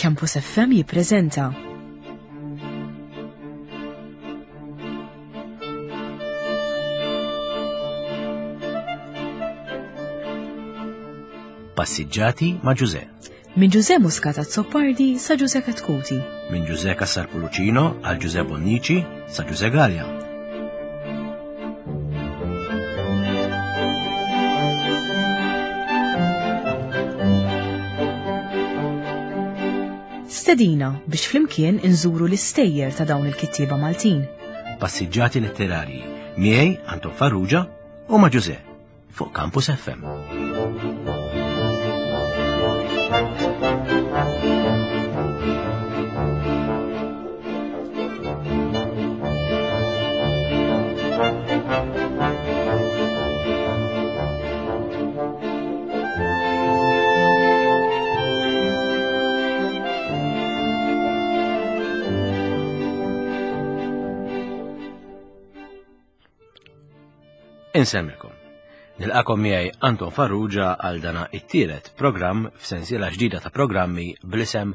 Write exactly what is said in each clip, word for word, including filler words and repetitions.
Campus F M jippreżenta Passiġġati ma' Ġuże. Minn Ġuże Muscat Azzopardi sa Ġuże Katkuti. Minn Ġuże Cassar Pulucino għal Ġuże Bonnici sa Ġuże Gallia. Stedina biex flimkien inżuru l-istejjer ta' dawn il-kittieba Maltin. Passiġġati letterarji miegħi Anton Farrugia u ma' Ġuże fuq Campus F M. Insemmilkom. Nilqakom miegħi Anton Farrugia għal dana it-tielet programm f'sensiela ġdida ta' programmi bl-isem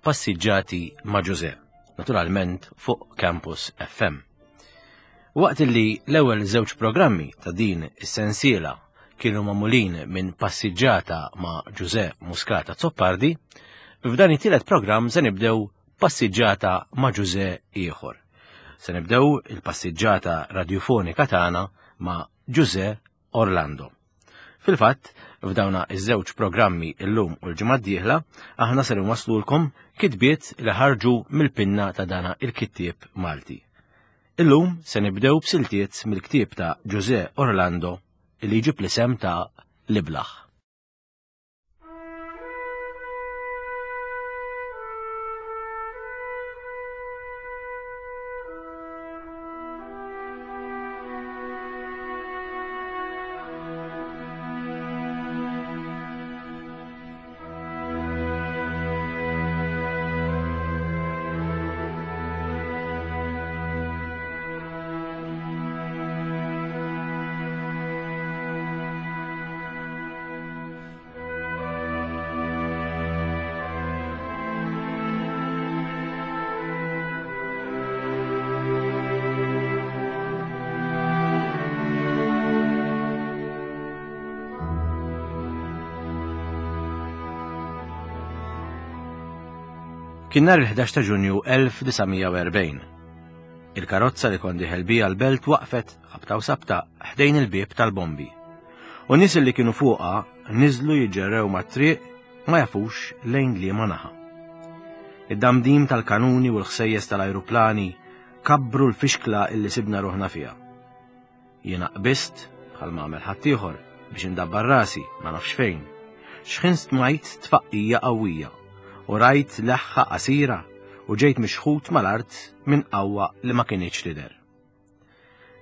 Passiġġati ma' Ġuże, naturalment fuq Campus F M. Waqt li l-ewwel żewġ programmi ta' din is-sensiela kienu magħmulin minn passiġġata ma' Ġuże Muscat Azzopardi, f'dan it-tielet programm se nibdew passiġġata ma' Ġuże ieħor. Se nibdew il-passiġġata radiofonika tagħna ma' Ġuże Orlando. Fil-fatt, f'dawna iż-żewġ programmi illum u l-ġimgħa d-dieħla, aħna ser inwaslulkom kitbiet li ħarġu mill-pinna ta' dana il-kittieb Malti. Illum se nibdew b'siltiet mill-ktieb ta' Ġuże Orlando li jġib l-isem ta' L-Iblaħ. Kien nhar il-ħdax ta' Ġunju elf disa' mija u erbgħin. Il-karozza li kont dieħel bija l-belt waqfet ħabta u sabta ħdejn il-bieb tal-bombi. U nies li kienu fuqha niżlu jiġġerrew mat-triq ma jafux lejn liema naħa. Id-damdim tal-kanuni u l-ħsejjes tal-ajruplani kabbru l-fixkla illi sibna ruħna fiha. Jiena qbist bħal ma għamel ħaddieħor biex indabbar rasi ma nafx fejn. Xħin smajt tfaqqija qawwija u rajt leħħa qasira u ġejt mixħut mal-art minn qawwa li ma kinitx tidher.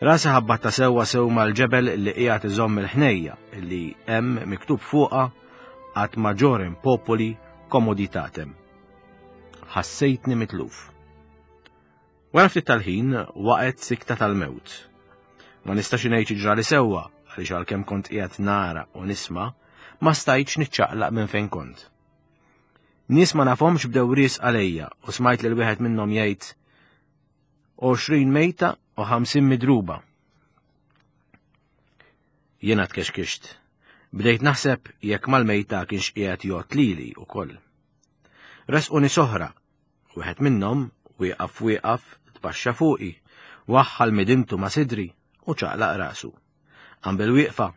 Rasi ħabbatta sewwa sew mal-ġebel li qiegħed iżomm il-ħnejja li hemm miktub fuqha ad majorem populi commoditatem. Ħassejtni mitluf. Wara ftit tal-ħin waqgħet sikta tal-mewt. Ma nistax ngħid ġrali sewwa għaliex għalkemm kont qiegħed nara u nisma', ma stajtx niċċaqlaq minn fejn kont. Nies ma nafhomx bdew ris għalejja u smajt lil wieħed minnhom jgħid għoxrin mejta u ħamsin midruba. Jiena tkexkixt. Bdejt naħseb jekk mal-mejta kienx qiegħed jgħod lili wkoll. Resquni soħra, wieħed minnhom wieqaf wieqaf tbaxxa fuqi, waħħal midintu ma' sidri u ċaqlaq rasu. Qam bil-wieqfa,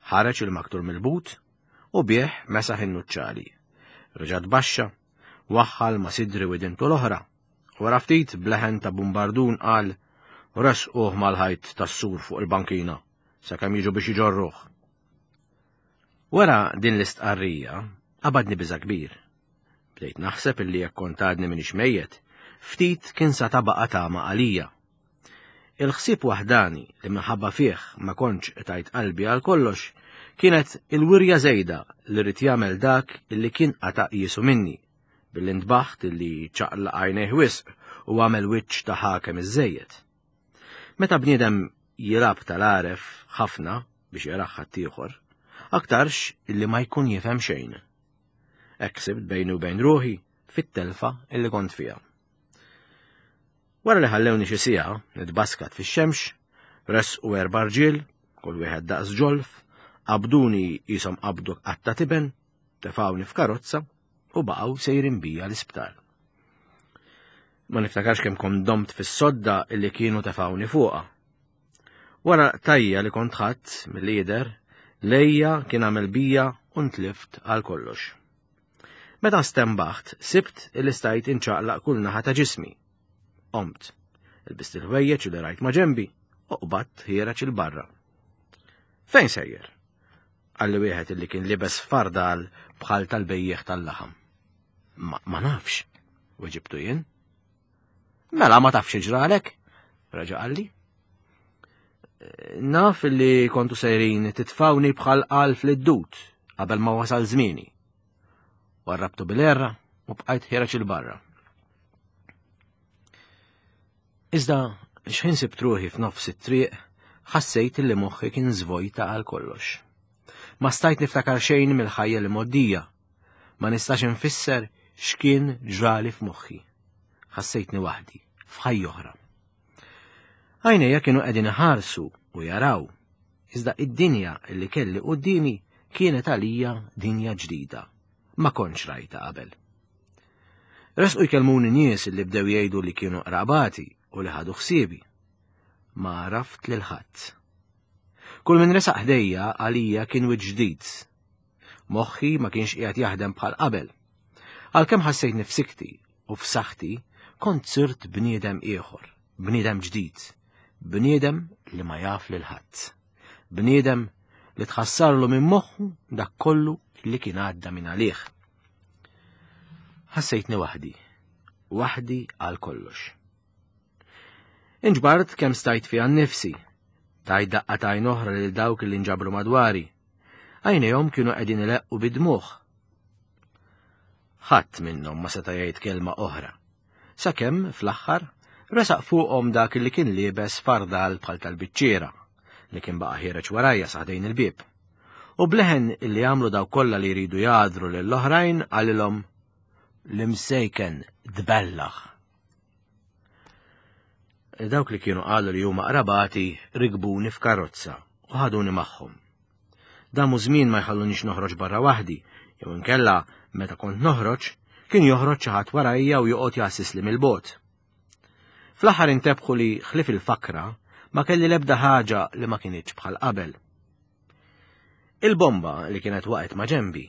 ħareġ il-maktur mill-but u bih mesaħ in-nuċċali. Reġa' tbaxxa, waħħal ma' sidri u idintu l-oħra. Wara ftit bleħen ta' bumbardun qal resquh mal-ħajt tas-sur fuq il-bankina sakemm jiġu biex iġorruh. Wara din l-istqarrija qabadni biża' kbir. Bdejt naħseb illi jekk kont għadni m'iniex mejjet, ftit kien sa tabaqa tama għalija. Il-ħsieb waħdani li minħabba fih ma kontx tajt qalbi għal kollox kienet il-wirja żejda li rrid jagħmel dak illi kien qata' jisu minni, billi ntbaħt illi ċaqlaq għajnejh wisq u għamel wiċċ ta' ħakem iżżejjed. Meta bniedem jilgħab tal-għaref ħafna biex jaraħ ħaddieħor, aktarx illi ma jkun jifhem xejn. Hekk sibt bejni u bejn ruħi fit-telfa illi kont fiha. Wara li ħallewni xi siegħa nitbaskat fix-xemx, resqu erba' rġiel, kull wieħed daqs ġolf, qabduni qishom qabdu qatta tiben, tefgħuni f'karozza u baqgħu sejrin bija l-isptar. Ma niftakarx kemm kont domt fis-sodda illi kienu tefgħuni fuqha. Wara tajja li kont ħadd mill-lider, lejja kien għamel bija u ntlift għal kollox. Meta stembaħt, sibt illi stajt inċaqlaq kull naħa ta' ġismi. Qomt, ilbist il-ħwejjeġ li rajt ma' ġenbi u qbadt ħiereġ 'il barra. Fejn sejjer? Qalli wieħed illi kien libes fardal bħal tal-bejjieħ tal-laħam. Ma, ma nafx, weġibtu jien. Mela ma tafx ġralek, reġa' qalli. Naf illi kontu sejrin titfawni bħal qalf lid-dud qabel ma wasal żmieni. Warrabtu bil-erra u bqajt ħiereġ 'il barra. Iżda xħin sibt ruħi f'nofs it-triq, ħassejt li moħħi kien żvojta għal kollox. Ma stajt niftakar xejn mill-ħajja li moddija. Ma nistax infisser x'kien ġrali f'moħħi. Ħassejtni waħdi, f'ħajja oħra. Għajnejja kienu qegħdin iħarsu u jaraw, iżda id-dinja li kelli quddiemi kienet għalija dinja ġdida. Ma kontx rajta qabel. Resqu jkellmuni nies li bdew jgħidu li kienu qrabati u li ħadu ħsiebi. Ma għaraft lil ħadd. Kull min resaq ħdejja għalija kien wiċċ ġdid. Moħħi ma kienx qiegħed jaħdem bħal qabel. Għalkemm ħassejtni f'sikti u f'saħħti, kont sirt bniedem ieħor, bniedem ġdid, bniedem li ma jaf lil ħadd. Bniedem li tħassarlu minn moħħu dak kollu li kien għadda minn għalih. Ħassejtni waħdi, waħdi għal kollox. Inġbart kemm stajt fiha nnifsi, tajt daqqa t'għajn oħra lil dawk li nġabru madwari. Għajnejhom kienu qegħdin ileqqu bid-dmugħ. Ħadd minnhom ma seta' jgħid kelma oħra. Sakemm fl-aħħar resaq fuqhom dak li kien liebes fardal bħal tal-biċċiera li kien baqa' ħiereġ warajja sa ħdejn il-bieb. U bleħen illi għamlu daw kollha li jridu jgħadru lill-oħrajn qalilhom l-imsejken tbellaħ. Dawk li kienu qalu li huma qrabati rigbuni f'karozza u ħaduni magħhom. Damu żmien ma jħallunix noħroġ barra waħdi, jew inkella meta kont noħroġ, kien joħroġ xi ħadd warajja u joqgħod jassisli mill-bogħod. Fl-aħħar intebħu li ħlief il-fakra ma kelli l-ebda ħaġa li ma kinitx bħal qabel. Il-bomba li kienet waqgħet ma' ġenbi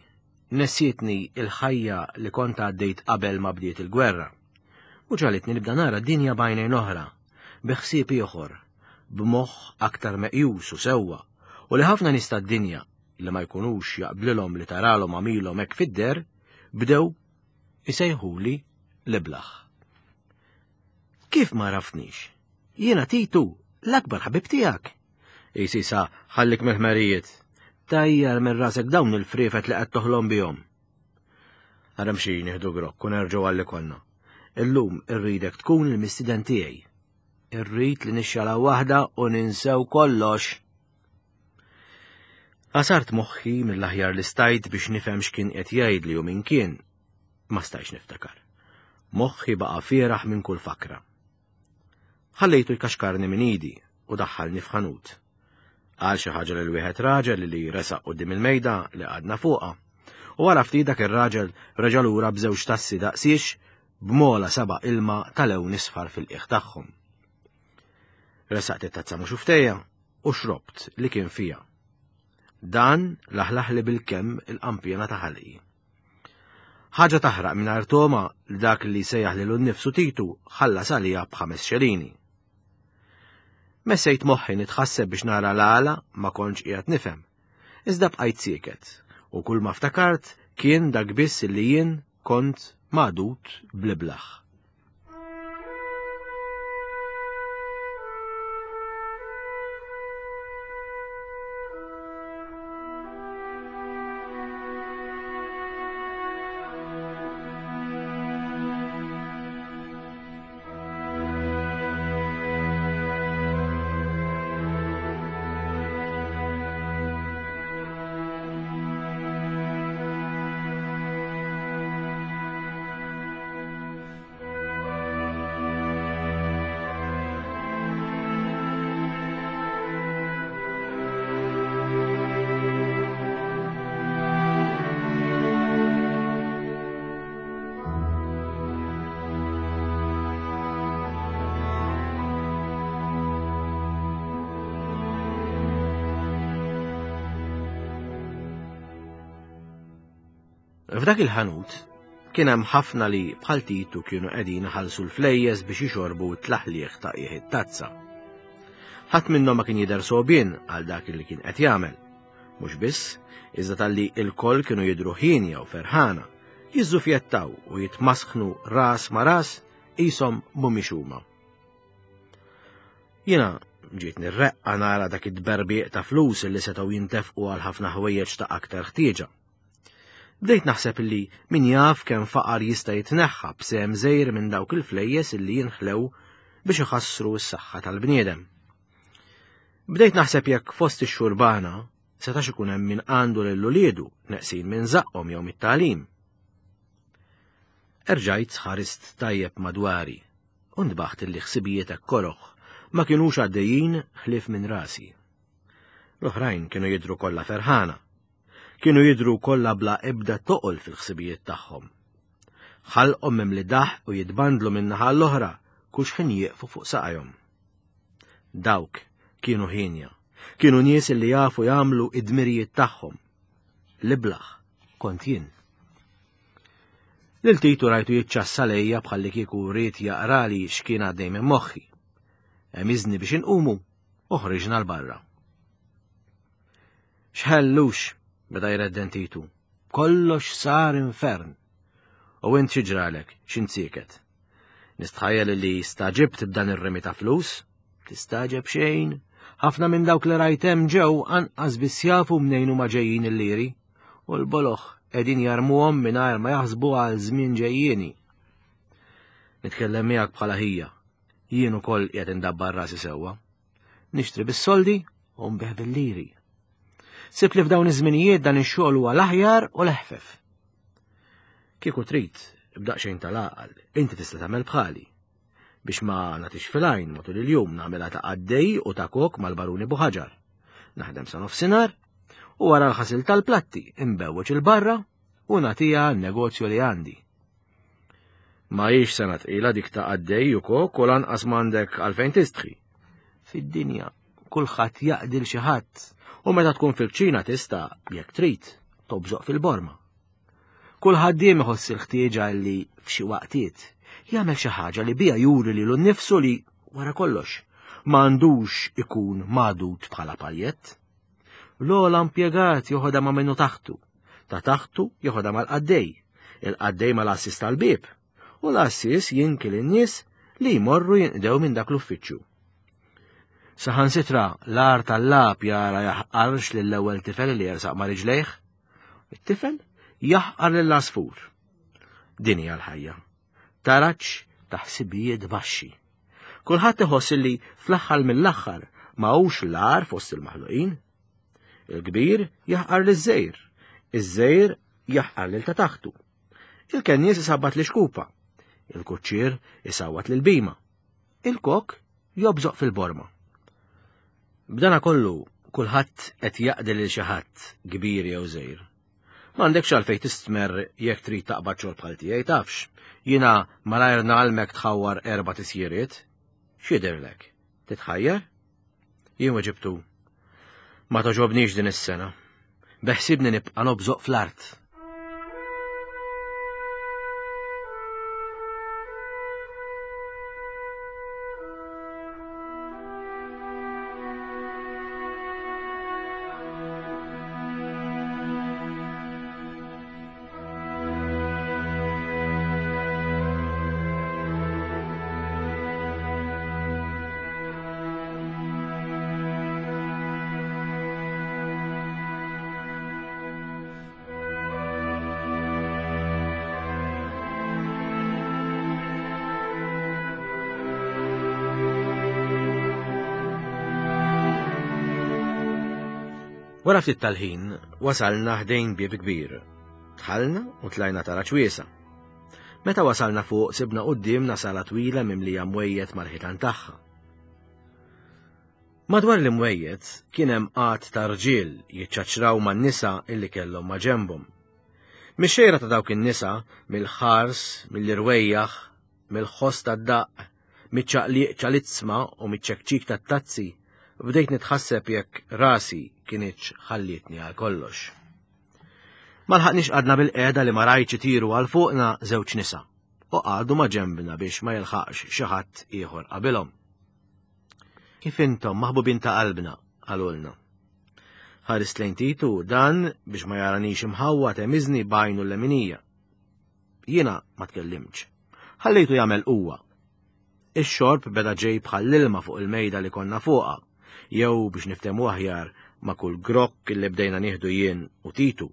nessietni il-ħajja li kont għaddejt qabel ma bdiet il-gwerra u ġagħlitni nibda nara dinja b'għajnejn oħra, bi ħsieb ieħor, b'moħħ aktar meqjus u sewwa, u li ħafna nies tad-dinja li ma jkunux jaqblilhom li taralhom għamilhom hekk fid-der, bdew isejħuli l-iblaħ. Kif ma għaraftnix? Jiena Titu, l-akbar ħabib tiegħek. Isisa, ħallik mill-ħmerijiet. Tajjar minn rasek dawn il-friefet li qed toħlom bihom. Ara mxi nieħdu grokk u nerġgħu għalli konna. Illum irridek tkun il-mistieden tiegħi. Irrid li nixxala waħda u ninsew kollox. Għasart moħħi mill-aħjar li stajt biex nifhem x'kien qed jgħidli u min kien. Ma stajtx niftakar. Moħħi baqa' fieraħ minn kull fakra. Ħallejtu jkaxkarni minn idi u daħħalni f'ħanut. Qal xi ħaġa lil wieħed raġel li resaq quddiem il-mejda li qgħadna fuqha. U wara ftit dak ir-raġel reġa' lura b'żewġ tassi daqsiex b'mola seba' ilma tal-lewn isfar fil-qiegħ tagħhom. Resaqt it-tazza mhux ftejja u xrobt li kien fija. Dan laħlaħli bil-kemm il-qampjena ta' ħalqi. Ħaġa taħraq mingħajr toma li dak li sejjaħ lilu nnifsu Titu ħallas għalija b'ħames xelini. Messejt moħħi nitħasseb biex nara l-għala ma kontx qiegħed nifhem. Iżda bqajt sieket u kull ma ftakart kien dak biss li jien kont magħdud bl-iblaħ. F'dak il-ħanut kien hemm ħafna li bħal Titu kienu qegħdin iħallsu l-flejjes biex jixorbu t-tlaħliħ ta' qiegħ it-tazza. Ħadd minnhom ma kien jidher sogħbien għal dak li kien qed jagħmel. Mhux biss, iżda talli l-koll kienu jidhru ħienja u ferħana, jiżżufjettaw u jitmasħnu ras ma' ras qishom mhumiex huma. Jiena ġiet nirreqqa nara dak id-tberbieq ta' flus li setgħu jintefqu għal ħafna ħwejjeġ ta' aktar ħtieġa. Bdejt naħseb li min jaf kemm faqar jista' jitneħħa b'sehem żgħir minn dawk il-flejjes illi jinħlew biex iħassru s-saħħa tal-bniedem. Bdejt naħseb jekk fost ix-xurbana setax ikun hemm min għandu lil uliedu neqsin minn żaqqhom jew mit-tagħlim. Erġajt ħarist tajjeb madwari u ntbaħt illi ħsibijiet hekk koroh ma kinux għaddejjin ħlief minn rasi. L-oħrajn kienu jidhru kollha ferħana. Kienu jidhru kollha bla ebda toqol fil-ħsibijiet tagħhom. Ħalqhom mimli daħq u jitbandlu minn naħa l-oħra kull xħin jieqfu fuq saqajhom. Dawk kienu ħienja, kienu nies li jafu jagħmlu id-dmirijiet tagħhom. L-iblaħ kont jien. Lil Titu rajtu jiċċassa lejja bħalli kieku ried jaqrali x'kien għaddej minn moħħi. Emiżni biex inqumu u ħriġna 'l barra. X'ħellux, beda jredden Titu. Kollox sar infern. U int xi ġralek, x'intsieket. Nistħajjel li staġibt b'dan ir-rimi ta' flus? Tistaġeb xejn. Ħafna minn dawk li rajt hemm ġew anqas biss jafu mnejn huma ġejjin il-liri. U l-boloħ qegħdin jarmuhom mingħajr ma jaħsbu għal żmien ġejjieni. Nitkellem miegħek bħala ħija. Jien ukoll qiegħed indabbar rasi sewwa. Nixtri bis-soldi u nbih bil-liri. Sibt li f'dawn iż-żminijiet dan ix-xogħol huwa l-aħjar u l-eħfef. Kieku trid, b'daqsxejn tal-għaqal, inti tista' tagħmel bħali. Biex ma nagħtix fil-għajn matul il-jum nagħmilha ta' qaddej u ta' kok mal-baruni Buħaġar. Naħdem sa nofsinhar u wara l-ħasil tal-platti imbewweġ il-barra u nagħtiha n-negozju li għandi. Ma hix sena tqila dik ta' qaddej u kok u lanqas m'għandek għalfejn tistħi. Fid-dinja kulħadd jaqdi l xi ħadd u meta tkun fil-kċina tista' jekk trid tobżoq fil-borma. Kull ħaddiem iħoss il-ħtieġa li f'xi waqtiet jagħmel xi ħaġa li bija juri lilu nnifsu li wara kollox m'għandux ikun magħdud bħala paljett. L-ogħla impjegat joħodha ma' minnu taħtu, ta' taħtu joħodha mal-qaddej, il-qaddej mal-għassis tal-bieb, u l-għassis jinki lin-nies li jmorru jinqdew minn dak l-uffiċċju. Saħansitra l-agħar tal-lagħab jara jaħqarx lill-ewwel tifel li jersaq ma' riġlejh, it-tifel jaħqar lill-għasfur. Din hija l-ħajja. Taraġ ta' ħsibijiet baxxi. Kulħadd iħoss li fl-aħħar mill-aħħar ma hux l-agħar fost il-maħluqin. Il-kbir jaħqar liż-żgħir, iż-żgħir jaħqar lil ta' taħtu. Il-kennies isabbat l-ixkupa, il-kuċċier isawwat lil-bima, il-kok jobżoq fil-borma. B'dana kollu kulħadd qed jaqdi lil xi ħadd kbir jew żgħir. M'għandekx għalfejn tistmerr jekk trid taqbad xogħol bħal tiegħi tafx. Jiena malajr nagħalmek tħawwar erba' tisjiriet. X'jidhirlek? Titħajjar? Jien weġibtu. Ma toġobnix din is-sena. Beħsibni nibqa' nobżoq fl-art. Wara ftit tal-ħin wasalna ħdejn bieb kbir. Dħalna u tlajna taraġ wiesa'. Meta wasalna fuq sibna quddiemna sala twila mimlija mwejjed mal-ħitan tagħha. Madwar l-imwejjed kien hemm qgħad ta' rġiel jiċċaċraw man-nisa illi kellhom ma' ġenbhom. Mix-xejra ta' dawk in-nisa, mill-ħars, mill-irwejjaħ, mill-ħoss tad-daqq, miċ-ċaqliq ċalizzma u miċ-ċekċik tat-tazzi, bdejt nitħasseb jekk rasi kienitx ħallietni għal kollox. Ma lħaqniex qgħadna bilqiegħda li ma rajtx itiru għal fuqna żewġ nisa u qagħdu ma' ġembna biex ma jilħaqx xi ħadd ieħor qabilhom. Kif intom maħbubin ta' qalbna, qalulna. Ħarist lejn Titu dan biex ma jaranix imħawwad għemiżni b'għajnu l-leminija. Jiena ma tkellimtx. Ħallejtu jagħmel huwa. Ix-xorb beda ġej bħall-ilma fuq il-mejda li konna fuqha, jew biex niftehmu aħjar ma' kull grokk li bdejna nieħdu jien u Titu.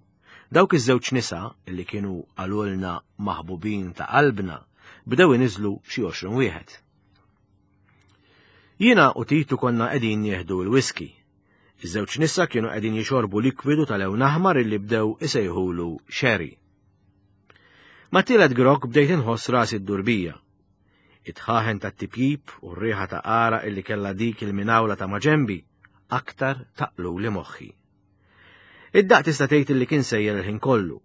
Dawk iż-żewġ nisa li kienu qalulna maħbubin ta' qalbna bdew iniżlu xi għoxrin wieħed. Jiena u Titu konna qegħdin nieħdu l-whisky. Iż-żewġ nisa kienu qegħdin jixorbu likwidu tal-lewn aħmar illi bdew isejħulu sherry. Ma' tielet grokk bdejt inħoss rasi ddur bija. It-dħaħen tat-tipjip u r-riħa ta' għaraq illi kellha dik il-minawla ta' maġenbi aktar taqluli moħħi. Id-daqq tista' tgħid illi kien sejjer il-ħin kollu.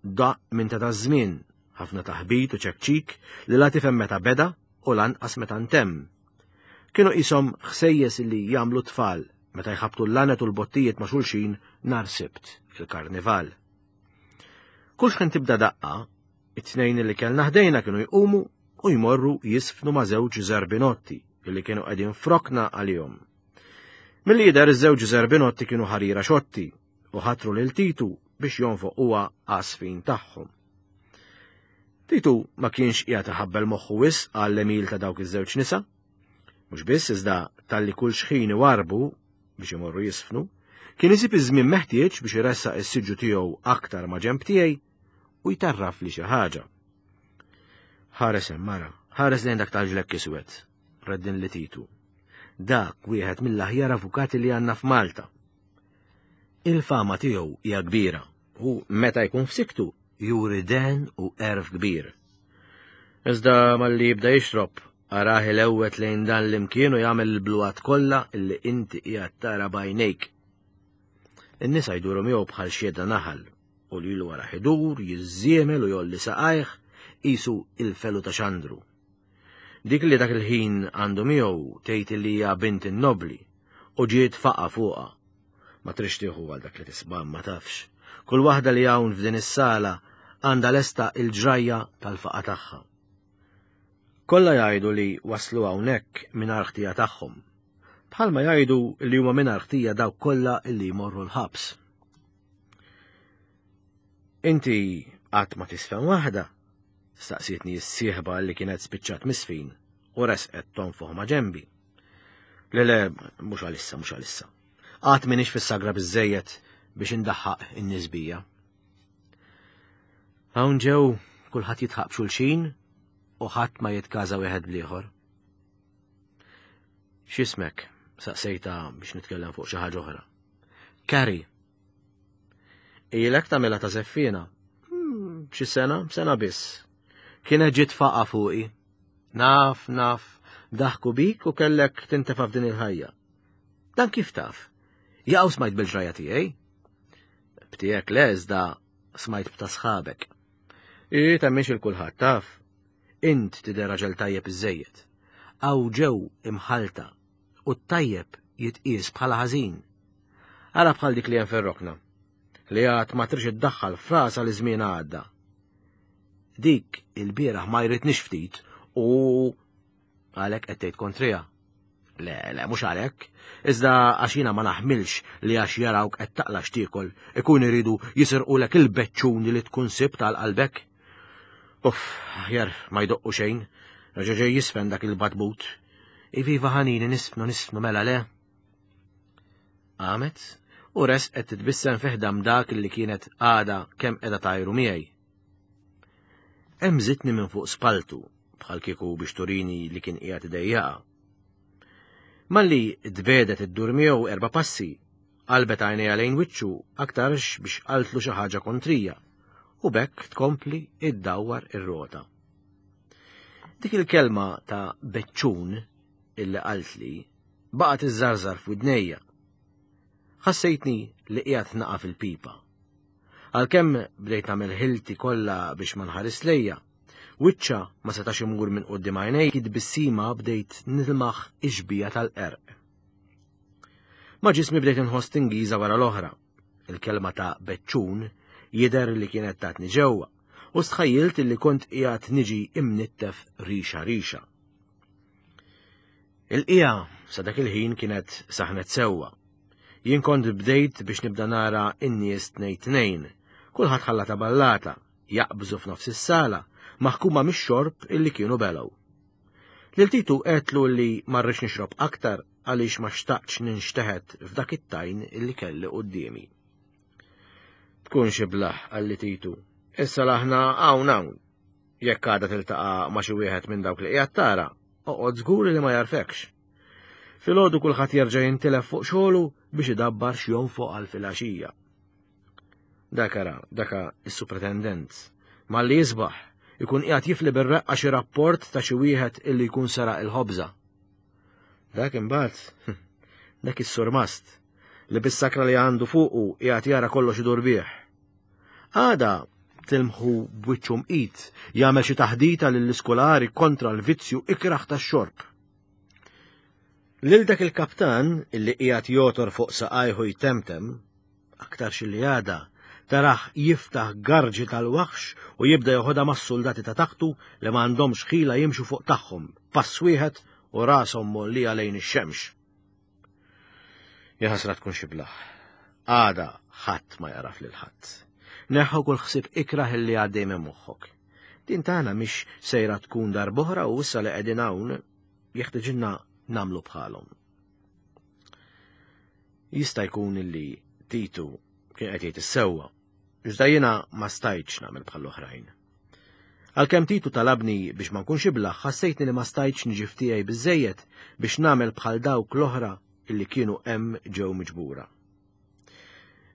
Daqq minn ta' żmien, ħafna taħbit u ċekċik li la tifhem meta beda u lanqas meta ntemm. Kienu qishom ħsejjes li jagħmlu tfal meta jħabtu l-lanet u l-bottijiet ma' xulxin nhar Sibt il-karnival. Kull xħin tibda daqqa, it-tnejn li kellna ħdejna kienu jqumu u jmorru jisfnu ma' żewġ zerbinotti illi kienu qegħdin f'rokna għalihom. Milli jidher iż-żewġ zerbinotti kienu ħarira xotti u ħatru lil Titu biex jonfoq huwa għasfin tagħhom. Titu ma kienx qiegħed iħabbel moħħu wisq għall-għemil ta' dawk iż-żewġ nisa. Mhux biss iżda talli kull xħin iwarbu biex imorru jisfnu, kien isib iż-żmien meħtieġ biex iressaq is-siġġu tiegħu aktar ma' ġenb tiegħi u jtarraf li xi ħaġa. Ħares hemm mara, ħares lejn dak tal-ġlekk iswed, reddinli Titu. Dak wieħed mill-aħjar avukati li għandna f'Malta. Il-fama tiegħu hija kbira u meta jkun f'siktu juri den u għerf kbir. Iżda malli jibda jixrob, arah ilewwet lejn dan l-imkien u jagħmel il-bluwat kollha illi inti qiegħed tara b'għajnejk. In-nisa jduru miegħu bħal xieda naħal u lilu wara idur, jiżżiemel u jgħolli saqajh qisu il-felu ta' Xandru. Dik li dak il-ħin għandu miegħu tgħid li hija bint in-nobli u ġiet faqa fuqha. Ma trix tieħu għal dak li tisma' ma tafx. Kull waħda li hawn f'din is-sala għandha lesta il-ġrajja tal-faqa tagħha. Kollha jgħidu li waslu hawnhekk mingħajr ħtija tagħhom. Bħalma jgħidu li huma mingħajr ħtija dawk kollha li jmorru l-ħabs. Inti qatt ma tisfen waħda, staqsietni s-sieħba li kienet spiċċat misfin u resqet tonfoħ ma' ġenbi. Le le, mhux għalissa, mhux għalissa. Qatt m'iniex fis-sagra biżejjed biex indaħħaq in-nies bija. Hawn ġew kulħadd jidħaq b'xulxin u ħadd ma jitkaża wieħed bl-ieħor. X'ismek? Saqsejta biex nitkellem fuq xi ħaġa oħra. Carrie. Ilek tagħmilha ta' żeffiena? Hmm, xi sena, sena biss. Kienet ġiet faqa fuqi. Naf, naf, daħku bik u kellek tintefa' f'din il-ħajja. Dan kif taf? Jaqaw smajt bil-ġrajja tiegħi? B'tiegħek le, iżda smajt b'ta' sħabek. I temmix il kulħadd taf. Int tidher raġel tajjeb iżejjed. Hawn ġew imħalta u t-tajjeb jitqies bħala ħażin. Ara bħal dik li hemm fir-rokna, li għad ma trix iddaħħal frasa li żmien għadda. Dik il-bieraħ ma jridnix ftit u għalhekk qed tgħid kontrija. Le, le, mhux għalhekk. Iżda għax jiena ma naħmilx li għax jarawk qed taqla x'tiekol ikun iridu jisirqulek il-beċċuni li tkun sibt għal qalbek. Uff, aħjar ma jdoqqu xejn, reġa' ġej jisfen dak il-batbut. Iviva ħanini nisfnu nisfnu mela le. Qamet u resqet titbissem fi ħdan dak li kienet għada kemm qiegħda tajru miegħi. Hemżitni minn fuq spaltu bħal kieku biex turini li kien qiegħed idejjaqa. Malli tbedet iddur miegħu erba' passi, qalbet għajnejha lejn wiċċu aktarx biex qaltlu xi ħaġa kontrija u b'hekk tkompli iddawwar ir-rota. Dik il-kelma ta' beċċun illi qaltli baqgħet iżżarżar f'widnejja. Ħassejtni li qiegħed naqa' fil-pipa. Għalkemm bdejt nagħmel ħilti kollha biex ma nħares lejja, wiċċa ma setax imur minn quddiem għajnej, tbissima bdejt nilmaħ ix-xbija tal-qerq. Ma' ġismi bdejt inħoss tingiża wara l-oħra. Il-kelma ta' beċċun Jidher li kienet tatni ġewwa u stħajjilt li kont qiegħed niġi imnittef rixa rixa. Il-qija sa dak il-ħin kienet saħnet sewwa. Jien kont bdejt biex nibda nara n-nies tnejn tnejn, kulħadd ħallata ballata, jaqbżu f'nofs is-sala, maħkuma mix-xorb illi kienu belgħu. Lil Titu għedtlu li ma rridx nixrob aktar għaliex ma xtaqtx ninxteħet f'dak it-tajn illi kelli quddiemi. Tkunx iblah, qalli Titu, issa l'aħna hawn hawn. Jekk għada tiltaqa' ma' xi wieħed minn dawk li qiegħed tara, oqgħod żgur li ma jarfekx. Filgħodu kulħadd jerġa' jintilef fuq xogħlu biex idabbar x'jonfoq għal filgħaxija. Dak ara, daka is-supretendent, malli jisbaħ, ikun qiegħed jifli bir-reqqa xi rapport ta' xi wieħed illi jkun seraq il-ħobża. Dak imbagħad, dak is-surmast, li bis-sakra li għandu fuqu qiegħed jara kollox idur bih. Għada tilmħu b'wiċċu mqit jagħmel xi taħdita lill-iskolari kontra l-vizzju ikraħ tax-xorb. Lil dak il-kaptan illi qiegħed jotor fuq saqajhu jtemtem, aktarx li għada taraħ jiftaħ garġi tal-waħx u jibda joħodha mas-soldati ta' taħtu li ma għandhomx ħila jimxu fuq tagħhom, pass wieħed u rashom mollija lejn ix-xemx. Jaħasra tkun xi blaħ. Għada ħadd ma jaraf lil ħadd. Neħħu kull ħsieb ikrah illi għaddej minn moħħok. Din tagħna mhix sejra tkun darb'oħra u issa li qegħdin hawn jeħtieġilna nagħmlu bħalhom. Jista' jkun illi Titu kien qed jgħid is-sewwa, iżda jiena ma stajtx nagħmel bħall-oħrajn. Għalkemm Titu talabni biex ma nkunx iblaħ, ħassejtni li ma stajtx niġi f'tiegħi biżejjed biex nagħmel bħal dawk l-oħra illi kienu hemm ġew miġbura.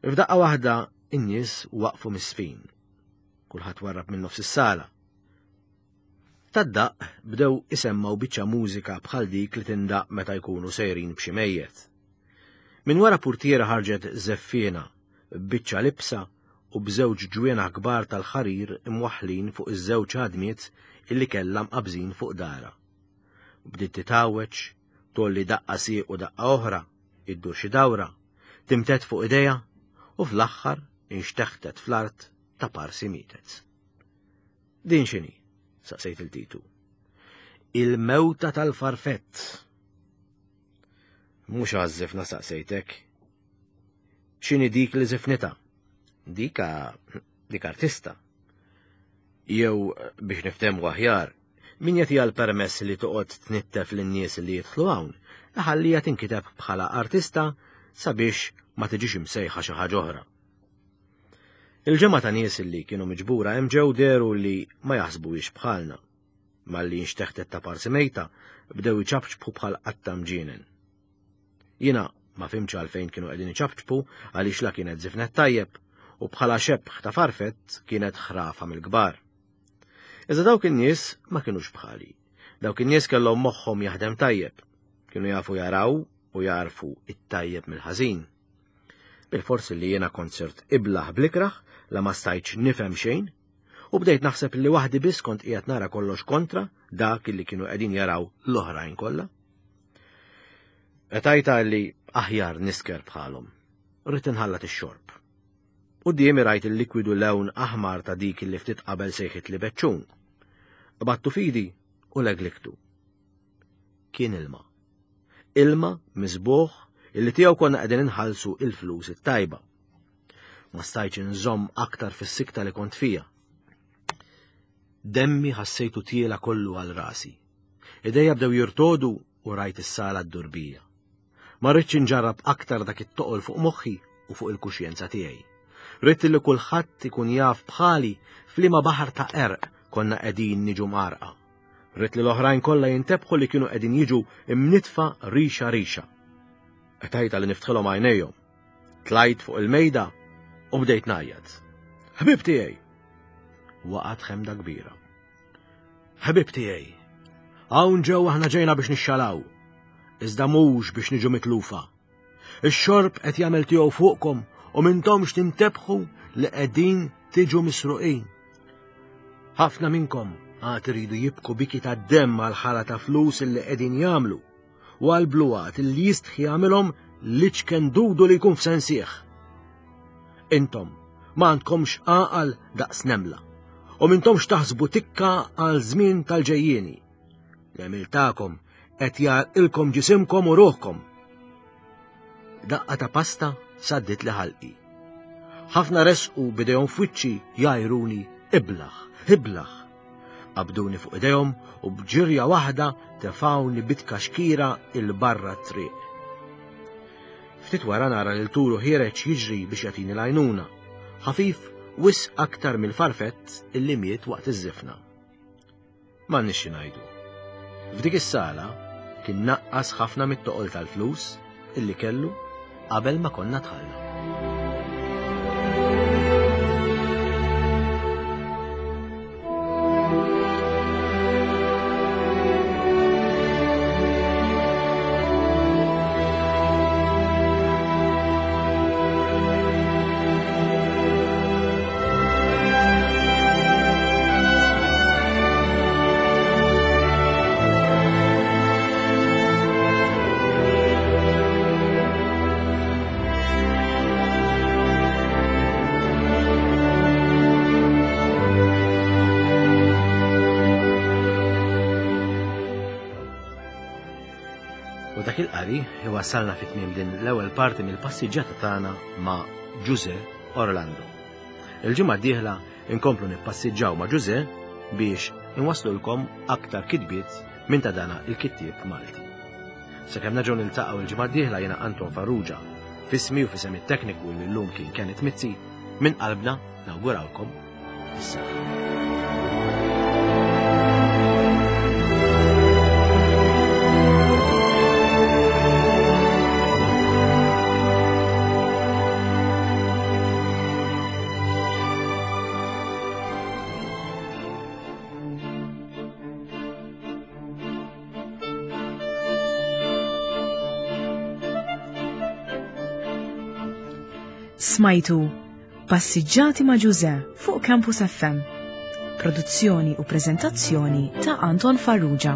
F'daqqa waħda in-nies waqfu misfin. Kulħadd warrab minn nofs is-sala. Tad-daqq bdew isemmaw biċċa mużika bħal dik li tindaq meta jkunu sejrin b'xi mejjet. Minn wara purtiera ħarġet żeffiena b'biċċa libsa u b'żewġ ġwienaħ kbar tal-ħarir imwaħħlin fuq iż-żewġ għadmiet illi kellha mqabżin fuq dara. Bdiet titgħawweġ, tolli daqqa sieq u daqqa oħra, iddur xi dawra, timtet fuq idejha u fl-aħħar inxteħtet fl-art ta' parsi mietet. Din x'inhi? Saqsejt il Titu. Il-mewta tal-farfett. Mhux għaż-żifna saqsejtek. X'inhi dik li żifnitha? Dika dik artista. Jew biex niftehmu aħjar, min jagħtiha l-permess li toqgħod tnittef lin-nies li jidħlu hawn, iħallija tinkiteb bħala artista sabiex ma tiġix imsejħa xi ħaġa oħra. Il-ġemgħa ta' nies li kienu miġbura hemm ġew dehru li ma jaħsbuhiex bħalna. Malli nxteħtet ta' parsi mejta, bdew iċapċpu bħal qatta mġienen. Jiena ma fhimtx għalfejn kienu qegħdin iċapċpu għaliex la kienet żifnet tajjeb u bħala xebħ ta' farfett kienet ħrafa mill-kbar. Iżda dawk in-nies ma kinux bħali. Dawk in-nies kellhom moħħhom jaħdem tajjeb. Kienu jafu jaraw u jarfu it-tajjeb mill-ħażin. Bil-forsi li jiena kont sirt iblaħ blikraħ la ma stajtx nifhem xejn, u bdejt naħseb li waħdi biss kont qiegħed nara kollox kontra dak li kienu qegħdin jaraw l-oħrajn kollha. Qtajta li aħjar nisker bħalhom. Rrid inħallat ix-xorb. Quddiemi rajt il-likwidu lewn aħmar ta' dik li ftit qabel sejħit li beċċun. Qbadtu fidi u legliktu. Kien ilma. Ilma miżbuħ illi tiegħu konna qegħdin inħallsu il-flus it-tajba. Ma stajtx inżomm aktar fis-sikta li kont fija. Demmi ħassejtu tiela kollu għal rasi. Idejja bdew jirtodu u rajt is-sala d-durbija. Ma rridx inġarrab aktar dak it-toqol fuq moħħi u fuq il-kuxjenza tiegħi. Ridt li kulħadd ikun jaf bħali f'liema baħar ta' qerq konna qegħdin niġu mqarqa. Ridt li l-oħrajn kollha jintebħu li kienu qegħdin jiġu imnitfa rixa rixa. Qtajta li niftħilhom għajnejhom. Tlajt fuq il-mejda u bdejt ngħajjat. Ħbib tiegħi! Waqgħet ħemda kbira. Ħbib tiegħi! Hawn ġew aħna ġejna biex nixxalaw, iżda mhux biex niġu mitlufa. Ix-xorb qed jagħmel tiegħu fuqkom u m'intomx tintebħu li qegħdin tiġu misruqin. Ħafna minnkom għad iridu jibku biki ta' demm għal ħala ta' flus illi qegħdin jagħmlu u għal bluwat illi jistħi jagħmilhom liċken dudu li jkun f'sensieħ. Intom Ma għandkomx għaqal daqs nemla u mintomx taħsbu tikka għal żmien tal-ġejjieni. L-għemil tagħkom qed jgħarqilkom ġisimkom u ruħkom. Daqqa ta' pasta saddit li ħalqi. Ħafna resqu b'idejhom f'wiċċi jgħajruni iblaħ, iblaħ. Qabduni fuq idejhom u b'ġirja waħda tefawni bitkaxkira 'il barra t-triq. Ftit wara nara lil Turu ħiereġ jiġri biex jagħtini l-għajnuna. Ħafif wisq aktar mill-farfett illi miet waqt iż-żifna. M'għandniex xi ngħidu. F'dik is-sala kien naqqas ħafna mit-toqol tal-flus illi kellu qabel ma konna dħalna. U dak il-qari iwassalna fi tmiem din l-ewwel parti mill-passiġġata tagħna ma' Ġużè Orlando. Il-ġimgħa d-dieħla inkomplu nippassiġġaw ma' Ġużè biex inwasslulkom aktar kitbiet minn ta' dana il-kittieb Malti. Sakemm nerġgħu niltaqgħu il-ġimgħa d-dieħla jiena Anton Farrugia, f'ismi u f'isem it-tekniku li llum kien Kenneth Mizzi, minn qalbna nawgurawlkom is-saħħa. Smajtu Passiġġati ma' Ġużè fuq Campus F M. Produzzjoni u preżentazzjoni ta' Anton Farrugia.